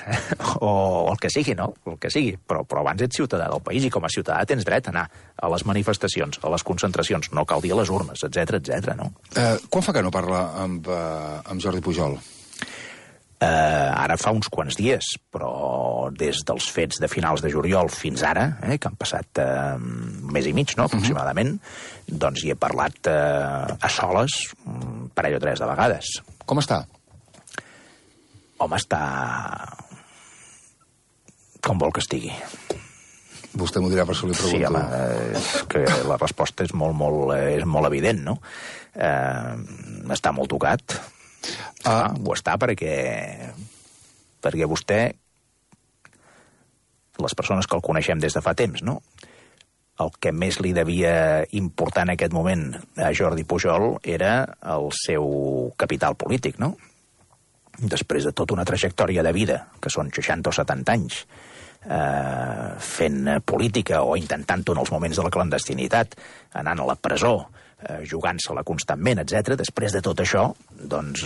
o el que sigui, no? El que sigui, però abans ets ciutadà del país i com a ciutadà tens dret a anar a les manifestacions, a les concentracions, no cal dir a les urnes, etc. no? Quan fa que no parla amb Jordi Pujol? Ara fa uns quants dies, però des dels fets de finals de juliol fins ara, que han passat un mes i mig, no?, aproximadament, doncs hi he parlat a soles un parell o tres de vegades. Com està? Home, està com vol que estigui. Vostè m'ho dirà per això li pregunto. Sí, home, és que la resposta és molt evident, no? Està molt tocat. Ho està perquè vostè, les persones que el coneixem des de fa temps, no? El que més li devia importar en aquest moment a Jordi Pujol era el seu capital polític, no? després de tota una trajectòria de vida, que són 60 o 70 anys, fent política o intentant-ho en els moments de la clandestinitat, anant a la presó, jugant-se-la constantment, etc. Després de tot això, doncs,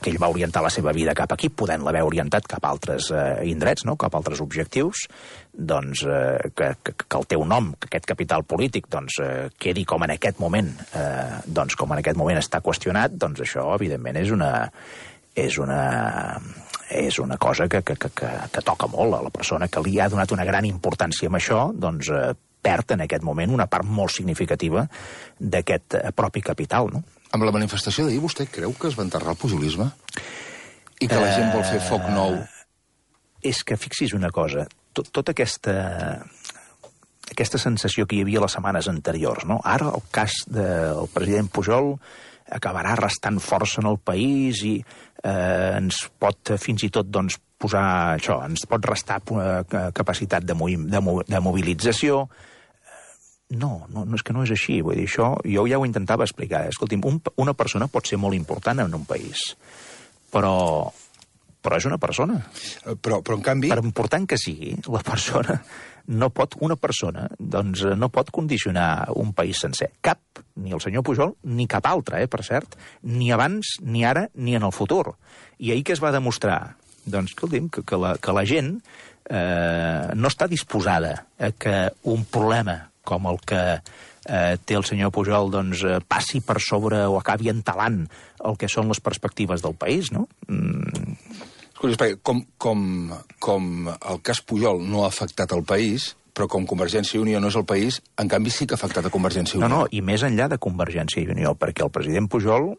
que ell va orientar la seva vida cap aquí, podent-la haver orientat cap a altres indrets, no? Cap a altres objectius, doncs, que el teu nom, que aquest capital polític, doncs, quedi com en aquest moment, doncs, com en aquest moment està qüestionat, doncs això, evidentment, és una cosa que toca molt a la persona que li ha donat una gran importància amb això, doncs perd en aquest moment una part molt significativa d'aquest propi capital, no? Amb la manifestació d'ahir, vostè creu que es va enterrar el pujolisme? I que la gent vol fer foc nou? És que fixi's una cosa, tota aquesta sensació que hi havia les setmanes anteriors, no? Ara el cas del president Pujol acabarà restant força en el país i ens pot fins i tot doncs, posar això, ens pot restar capacitat de mobilització. No, és que no és així. Vull dir, això jo ja ho intentava explicar. Escolti'm, una persona pot ser molt important en un país, però és una persona. Però en canvi... Per important que sigui, una persona no pot condicionar un país sencer. Cap, ni el senyor Pujol, ni cap altre, per cert, ni abans, ni ara, ni en el futur. I ahir que es va demostrar? Doncs, escolti'm, que la gent no està disposada a que un problema com el que té el senyor Pujol doncs, passi per sobre o acabi entalant el que són les perspectives del país, no? Com el cas Pujol no ha afectat el país, però com Convergència i Unió no és el país, en canvi sí que ha afectat a Convergència i Unió. No, i més enllà de Convergència i Unió, perquè el president Pujol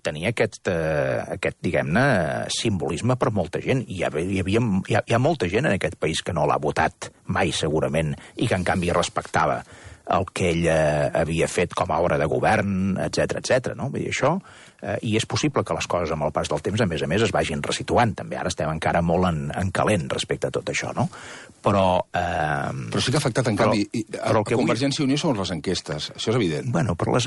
tenia aquest diguem-ne, simbolisme per molta gent. Hi ha molta gent en aquest país que no l'ha votat mai, segurament, i que en canvi respectava el que ell havia fet com a obra de govern, etc. No? Vull dir, això, i és possible que les coses amb el pas del temps, a més, es vagin resituant, també. Ara estem encara molt en calent respecte a tot això, no? Però sí que ha afectat, en canvi, a Convergència i Unió són les enquestes, això és evident. Bueno, però les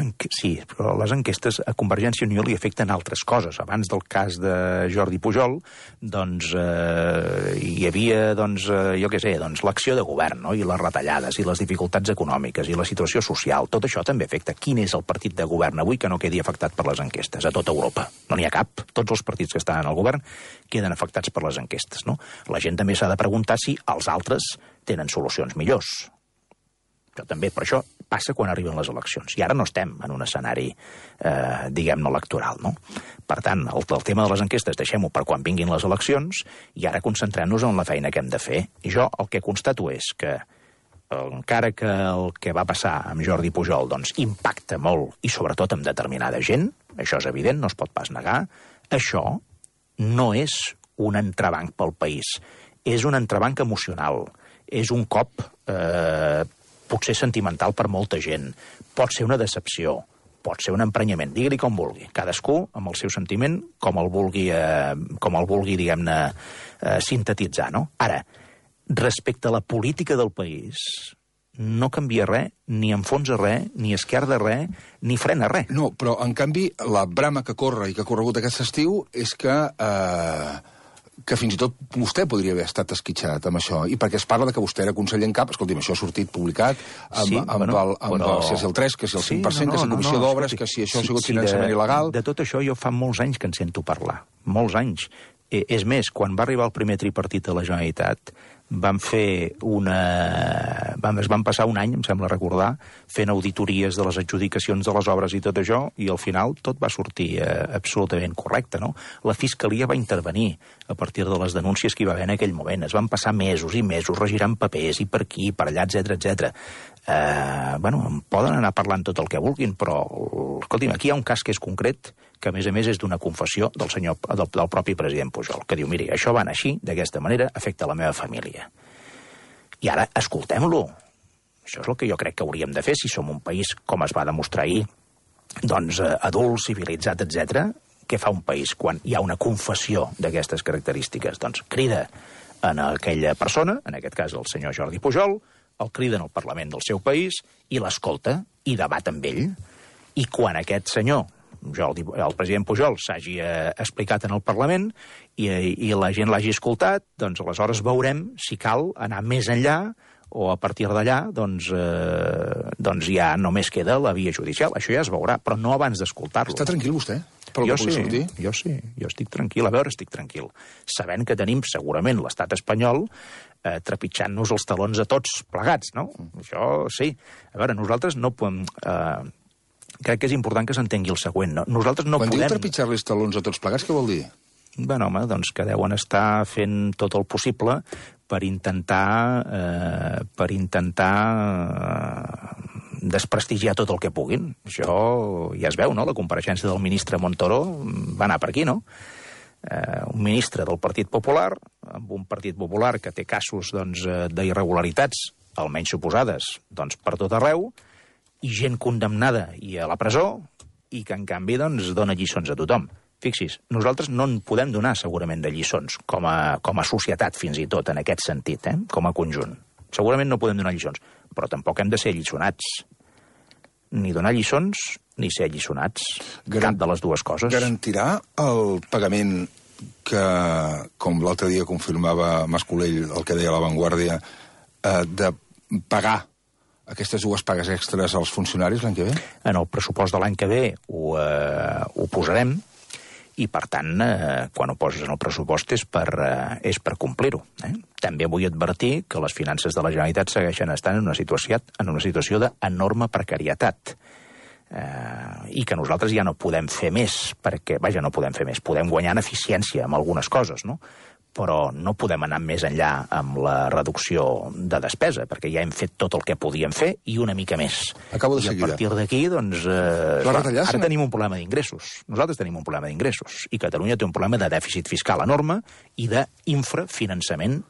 enquestes a Convergència i Unió li afecten altres coses. Abans del cas de Jordi Pujol, doncs, hi havia, doncs, jo què sé, doncs, l'acció de govern, no? I les retallades, i les dificultats econòmiques, i la situació social. Tot això també afecta. Quin és el partit de govern avui que no quedi afectat per les enquestes? A tota Europa. No n'hi ha cap. Tots els partits que estan al govern queden afectats per les enquestes, no? La gent també s'ha de preguntar si els altres tenen solucions millors. Això també, per això passa quan arriben les eleccions. I ara no estem en un escenari, diguem-ne, electoral, no? Per tant, el tema de les enquestes deixem-ho per quan vinguin les eleccions i ara concentrem-nos en la feina que hem de fer. I jo el que constato és que encara que el que va passar amb Jordi Pujol doncs, impacta molt, i sobretot amb determinada gent, això és evident, no es pot pas negar, això no és un entrebanc pel país, és un entrebanc emocional, és un cop potser sentimental per molta gent, pot ser una decepció, pot ser un emprenyament, digue-li com vulgui, cadascú amb el seu sentiment com el vulgui diguem-ne, sintetitzar, no? Ara, respecte a la política del país, no canvia res, ni enfonsa res, ni esquerda res, ni frena res. No, però, en canvi, la brama que corre i que ha corregut aquest estiu és que fins i tot vostè podria haver estat esquitxat amb això, i perquè es parla de que vostè era conseller en cap, escolti'm, això ha sortit publicat si és el 3, que si el 5%, que si comissió d'obres, que si això ha sigut finançament il·legal... De tot això jo fa molts anys que en sento parlar, molts anys. És més, quan va arribar el primer tripartit a la Generalitat, es van passar un any, em sembla recordar, fent auditories de les adjudicacions de les obres i tot això, i al final tot va sortir absolutament correcte, no? La Fiscalia va intervenir a partir de les denúncies que hi va haver en aquell moment. Es van passar mesos i mesos regirant papers, i per aquí, per allà, etc. En poden anar parlant tot el que vulguin, però, escolti'm, aquí hi ha un cas que és concret, que a més és d'una confessió del propi president Pujol, que diu, miri, això va anar així, d'aquesta manera, afecta la meva família. I ara, escoltem-lo. Això és el que jo crec que hauríem de fer si som un país, com es va demostrar ahir, doncs adult, civilitzat, etc. Què fa un país quan hi ha una confessió d'aquestes característiques? Doncs crida en aquella persona, en aquest cas el senyor Jordi Pujol, el crida en el Parlament del seu país i l'escolta i debat amb ell. I quan aquest senyor el president Pujol s'hagi explicat en el Parlament i la gent l'hagi escoltat, doncs aleshores veurem si cal anar més enllà o a partir d'allà doncs ja només queda la via judicial. Això ja es veurà, però no abans d'escoltar-lo. Està tranquil vostè? Jo sí, jo estic tranquil. A veure, estic tranquil. Sabent que tenim segurament l'estat espanyol trepitjant-nos els talons a tots plegats, no? Això sí. A veure, nosaltres no podem... Crec que és important que s'entengui el següent. Nosaltres no podem... Quan diu trepitjar-li els talons a tots plegats, què vol dir? Bueno, home, doncs que deuen estar fent tot el possible per intentar desprestigiar tot el que puguin. Això ja es veu, no? La compareixença del ministre Montoro va anar per aquí, no? Un ministre del Partit Popular, amb un Partit Popular que té casos d'irregularitats, almenys suposades, per tot arreu, i gent condemnada i a la presó, i que en canvi dona lliçons a tothom. Fixis, nosaltres no en podem donar segurament de lliçons, com a societat fins i tot, en aquest sentit, com a conjunt. Segurament no podem donar lliçons, però tampoc hem de ser alliçonats. Ni donar lliçons, ni ser alliçonats. Cap de les dues coses. Garantirà el pagament que, com l'altre dia confirmava Mascolell, el que deia La Vanguardia, de pagar aquestes dues pagues extres als funcionaris l'any que ve? En el pressupost de l'any que ve ho posarem, i, per tant, quan ho poses en el pressupost és per complir-ho. També vull advertir que les finances de la Generalitat segueixen estant en una situació d'enorme precarietat i que nosaltres ja no podem fer més, perquè, no podem fer més, podem guanyar en eficiència amb algunes coses, no? Però no podem anar més enllà amb la reducció de despesa, perquè ja hem fet tot el que podíem fer i una mica més. Acabo de seguida. I a partir d'aquí, doncs, ara tenim un problema d'ingressos. Nosaltres tenim un problema d'ingressos. I Catalunya té un problema de dèficit fiscal enorme i d'infrafinançament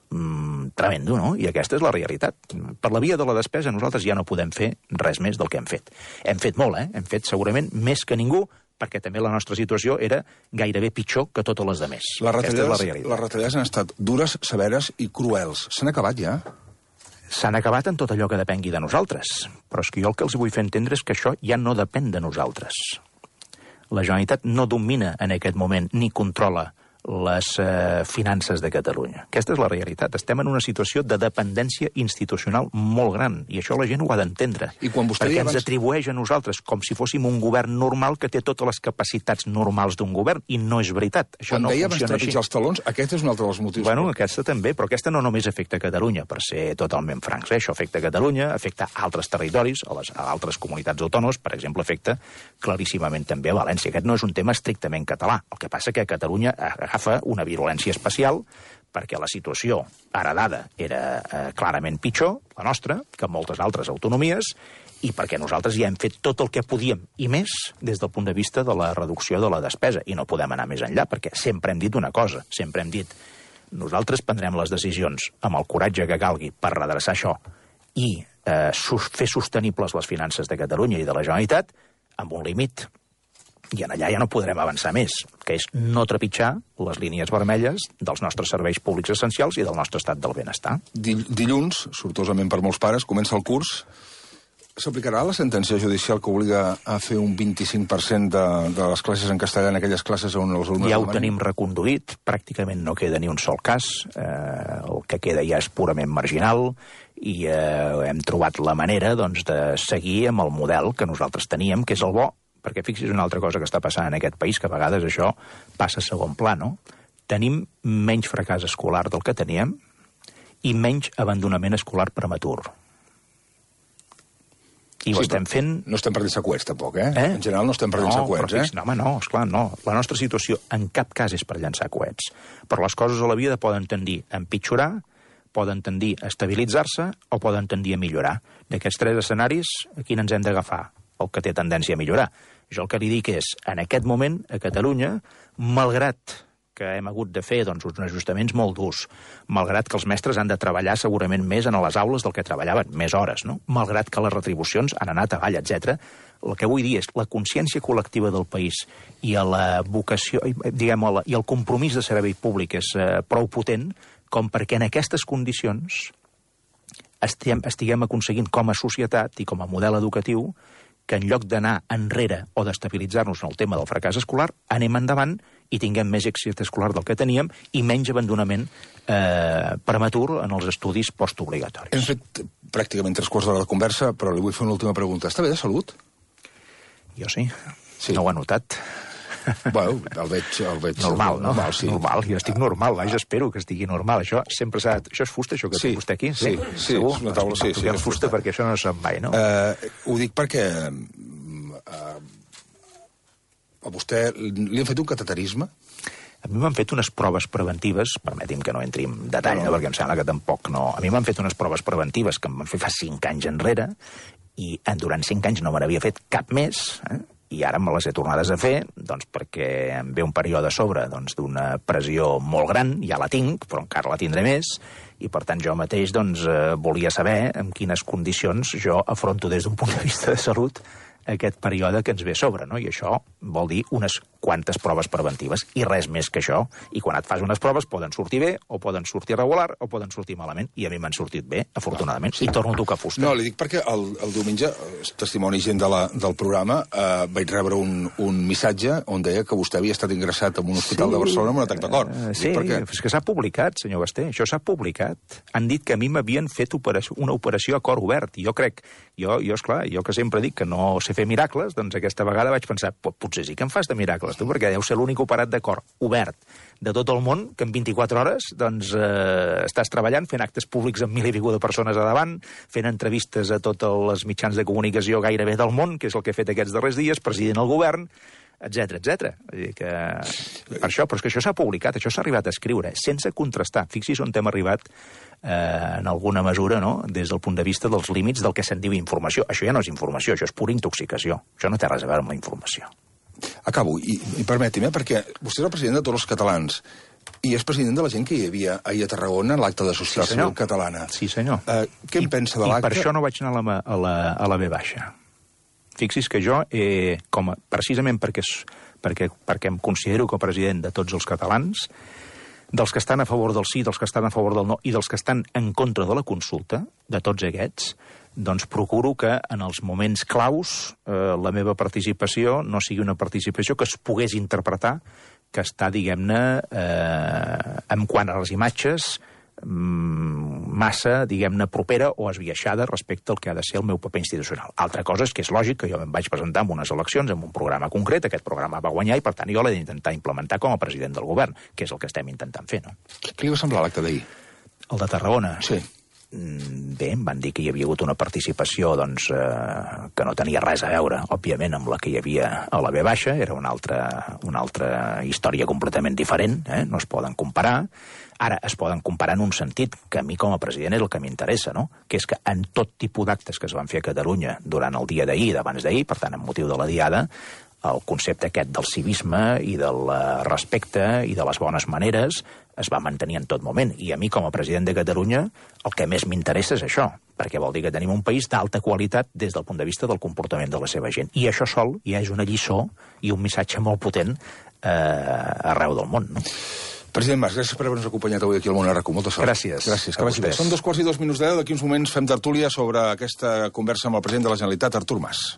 tremendo, no? I aquesta és la realitat. Per la via de la despesa nosaltres ja no podem fer res més del que hem fet. Hem fet molt, Hem fet segurament més que ningú, perquè també la nostra situació era gairebé pitjor que totes les demés. Les retallades han estat dures, severes i cruels. S'han acabat ja? S'han acabat en tot allò que depengui de nosaltres. Però és que jo el que els vull fer entendre és que això ja no depèn de nosaltres. La Generalitat no domina en aquest moment ni controla les finances de Catalunya. Aquesta és la realitat. Estem en una situació de dependència institucional molt gran, i això la gent ho ha d'entendre. Perquè ens atribueix a nosaltres com si fóssim un govern normal que té totes les capacitats normals d'un govern, i no és veritat. Això no funciona així. Quan deia trepitjar els talons, aquest és un altre dels motius. Bueno, aquesta també, però aquesta no només afecta Catalunya, per ser totalment francs. Això afecta Catalunya, afecta altres territoris, a altres comunitats autònomes, per exemple, afecta claríssimament també a València. Aquest no és un tema estrictament català. El que passa que Catalunya agafa una virulència especial perquè la situació heredada era clarament pitjor, la nostra, que moltes altres autonomies, i perquè nosaltres ja hem fet tot el que podíem i més des del punt de vista de la reducció de la despesa, i no podem anar més enllà, perquè sempre hem dit una cosa, sempre hem dit nosaltres prendrem les decisions amb el coratge que calgui per redreçar això i fer sostenibles les finances de Catalunya i de la Generalitat amb un límit. I en allà ja no podrem avançar més, que és no trepitjar les línies vermelles dels nostres serveis públics essencials i del nostre estat del benestar. Dilluns, sortosament per molts pares, comença el curs. S'aplicarà la sentència judicial que obliga a fer un 25% de les classes en castellà en aquelles classes on els alumnes... Ja ho tenim reconduït, pràcticament no queda ni un sol cas, el que queda ja és purament marginal, i hem trobat la manera de seguir amb el model que nosaltres teníem, que és el bo, perquè fixis una altra cosa que està passant en aquest país, que a vegades això passa a segon pla, no? Tenim menys fracàs escolar del que teníem i menys abandonament escolar prematur. I ho estem fent... No estem perdent seqüets, tampoc, En general no estem perdent seqüets, No, home, no, esclar, no. La nostra situació en cap cas és per llançar coets. Però les coses a la vida poden tendir a empitjorar, poden tendir a estabilitzar-se o poden tendir a millorar. D'aquests tres escenaris, a quin ens hem d'agafar? El que té tendència a millorar. Jo el que li dic és, en aquest moment, a Catalunya, malgrat que hem hagut de fer uns ajustaments molt durs, malgrat que els mestres han de treballar segurament més en les aules del que treballaven, més hores, no? Malgrat que les retribucions han anat avall, etc. El que vull dir és la consciència col·lectiva del país i la vocació, diguem-ho, i el compromís de servei públic és prou potent com perquè en aquestes condicions estiguem aconseguint com a societat i com a model educatiu que en lloc d'anar enrere o d'estabilitzar-nos en el tema del fracàs escolar, anem endavant i tinguem més èxit escolar del que teníem i menys abandonament prematur en els estudis postobligatoris. Hem fet pràcticament 3 quarts d'hora de conversa, però li vull fer una última pregunta. Està bé de salut? Jo sí. No ho he notat. Bueno, el veig... Normal, no? Normal, jo estic normal, vaja, espero que estigui normal. Això sempre s'ha... Això és fusta, això que té vostè aquí? Sí, és una taula, sí. És fusta perquè això no se'n mai, no? Ho dic perquè a vostè li han fet un cateterisme? A mi m'han fet unes proves preventives, permeti'm que no entri en detall, perquè em sembla que tampoc no... A mi m'han fet unes proves preventives que em van fer fa 5 anys enrere i durant 5 anys no me n'havia fet cap més, i ara me les he tornades a fer, doncs perquè em ve un període a sobre d'una pressió molt gran, ja la tinc, però encara la tindré més, i per tant jo mateix volia saber en quines condicions jo afronto des d'un punt de vista de salut aquest període que ens ve a sobre, no? I això vol dir unes quantes proves preventives, i res més que això. I quan et fas unes proves poden sortir bé, o poden sortir regular, o poden sortir malament, i a mi m'han sortit bé, afortunadament, i torno a tocar fusta. No, li dic perquè el diumenge, testimoni gent del programa, vaig rebre un missatge on deia que vostè havia estat ingressat en un hospital de Barcelona amb un atac de cor. Sí, és que s'ha publicat, senyor Basté, això s'ha publicat. Han dit que a mi m'havien fet una operació a cor obert, i jo crec, esclar, jo que sempre dic que no sé fer miracles, doncs aquesta vegada vaig pensar, potser sí que em fas de miracles, tu, perquè deu ser l'únic operat de cor obert de tot el món, que en 24 hores doncs, estàs treballant, fent actes públics amb 1.000 i escaig de persones a davant, fent entrevistes a tots els mitjans de comunicació gairebé del món, que és el que he fet aquests darrers dies, president del govern, etc. Vull dir que... Per això, però és que això s'ha publicat, això s'ha arribat a escriure, sense contrastar. Fixi's on hem arribat en alguna mesura, no?, des del punt de vista dels límits del que se'n diu informació. Això ja no és informació, això és pura intoxicació. Això no té res a veure amb la informació. Acabo, i permeti'm, perquè vostè és el president de tots els catalans i és president de la gent que hi havia ahir a Tarragona en l'acte de societat civil catalana. Sí, senyor. Què en pensa de l'acte? I per això no vaig anar a la B baixa. Fixi's que jo, precisament perquè em considero com a president de tots els catalans, dels que estan a favor del sí, dels que estan a favor del no i dels que estan en contra de la consulta, de tots aquests, doncs procuro que en els moments claus la meva participació no sigui una participació que es pogués interpretar que està, diguem-ne, en quant a les imatges, massa, diguem-ne, propera o esbiaixada respecte al que ha de ser el meu paper institucional. Altra cosa és que és lògic que jo em vaig presentar en unes eleccions amb un programa concret, aquest programa va guanyar i per tant jo l'he d'intentar implementar com a president del govern, que és el que estem intentant fer, no? Què li va semblar l'acte d'ahir? El de Tarragona? Sí. Bé, em van dir que hi havia hagut una participació doncs, que no tenia res a veure, òbviament, amb la que hi havia a la B baixa, era una altra història completament diferent, no es poden comparar. Ara, es poden comparar en un sentit que a mi com a president és el que m'interessa, no?, que és que en tot tipus d'actes que es van fer a Catalunya durant el dia d'ahir i d'abans d'ahir, per tant, amb motiu de la Diada, el concepte aquest del civisme i del respecte i de les bones maneres es va mantenir en tot moment. I a mi, com a president de Catalunya, el que més m'interessa és això, perquè vol dir que tenim un país d'alta qualitat des del punt de vista del comportament de la seva gent. I això sol ja és una lliçó i un missatge molt potent arreu del món, no? President Mas, gràcies per haver-nos acompanyat avui aquí al Món RQ. Molta sort. Gràcies. Gràcies, que vagi bé. Són 2:02 de 10. D'aquí uns moments fem tertúlia sobre aquesta conversa amb el president de la Generalitat, Artur Mas.